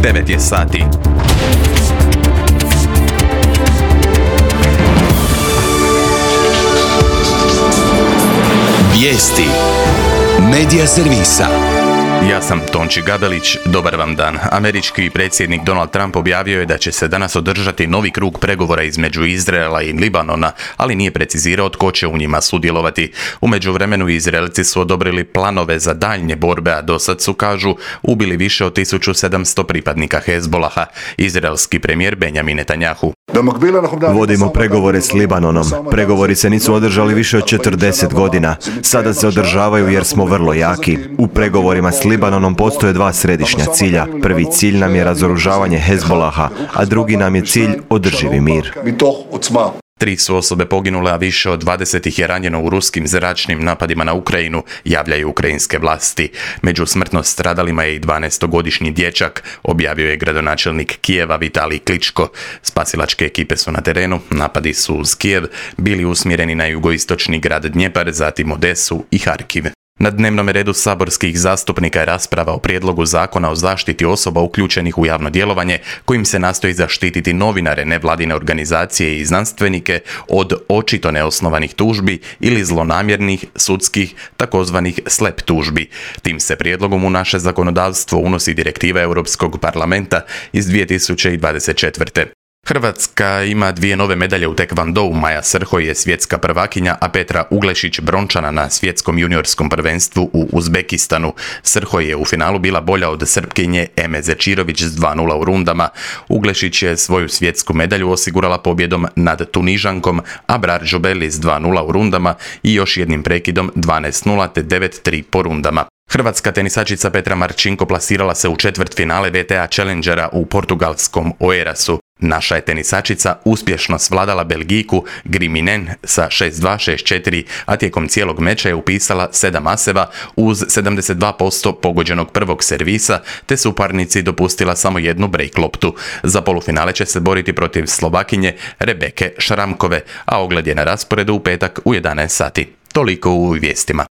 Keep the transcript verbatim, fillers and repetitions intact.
devet je sati. Vijesti Medija servisa. Ja sam Tonči Gabelić, dobar vam dan. Američki predsjednik Donald Trump objavio je da će se danas održati novi krug pregovora između Izraela i Libanona, ali nije precizirao tko će u njima sudjelovati. U međuvremenu Izraelci su odobrili planove za daljnje borbe, a dosad su, kažu, ubili više od tisuću sedamsto pripadnika Hezbolaha. Izraelski premijer Benjamin Netanjahu: Vodimo pregovore s Libanonom. Pregovori se nisu održali više od četrdeset godina. Sada se održavaju jer smo vrlo jaki. U pregovorima s Libanonom postoje dva središnja cilja. Prvi cilj nam je razoružavanje Hezbolaha, a drugi nam je cilj održivi mir. Tri su osobe poginule, a više od dvadeset ih je ranjeno u ruskim zračnim napadima na Ukrajinu, javljaju ukrajinske vlasti. Među smrtno stradalima je i dvanaestogodišnji dječak, objavio je gradonačelnik Kijeva Vitalij Kličko. Spasilačke ekipe su na terenu, napadi su uz Kijev bili usmjereni na jugoistočni grad Dnjepar, zatim Odesu i Harkiv. Na dnevnom redu saborskih zastupnika je rasprava o prijedlogu zakona o zaštiti osoba uključenih u javno djelovanje, kojim se nastoji zaštititi novinare, nevladine organizacije i znanstvenike od očito neosnovanih tužbi ili zlonamjernih sudskih takozvanih slep tužbi. Tim se prijedlogom u naše zakonodavstvo unosi direktiva Europskog parlamenta iz dvije tisuće dvadeset četvrte. Hrvatska ima dvije nove medalje u tekvondou. Maja Srhoj je svjetska prvakinja, a Petra Uglešić brončana na svjetskom juniorskom prvenstvu u Uzbekistanu. Srhoj je u finalu bila bolja od Srpkinje Eme Zečirović s dva nula u rundama. Uglešić je svoju svjetsku medalju osigurala pobjedom nad Tunižankom Abrar Jobeli s dva nula u rundama i još jednim prekidom dvanaest nula te devet tri po rundama. Hrvatska tenisačica Petra Marčinko plasirala se u četvrtfinale V T A Challengera u portugalskom Oeirasu. Naša je tenisačica uspješno svladala Belgijku Griminen sa šest dva šest četiri, a tijekom cijelog meča je upisala sedam aseva uz sedamdeset dva posto pogođenog prvog servisa, te su parnici dopustila samo jednu break loptu. Za polufinale će se boriti protiv Slovakinje Rebeke Šramkove, a ogled je na rasporedu u petak u jedanaest sati. Toliko u vijestima.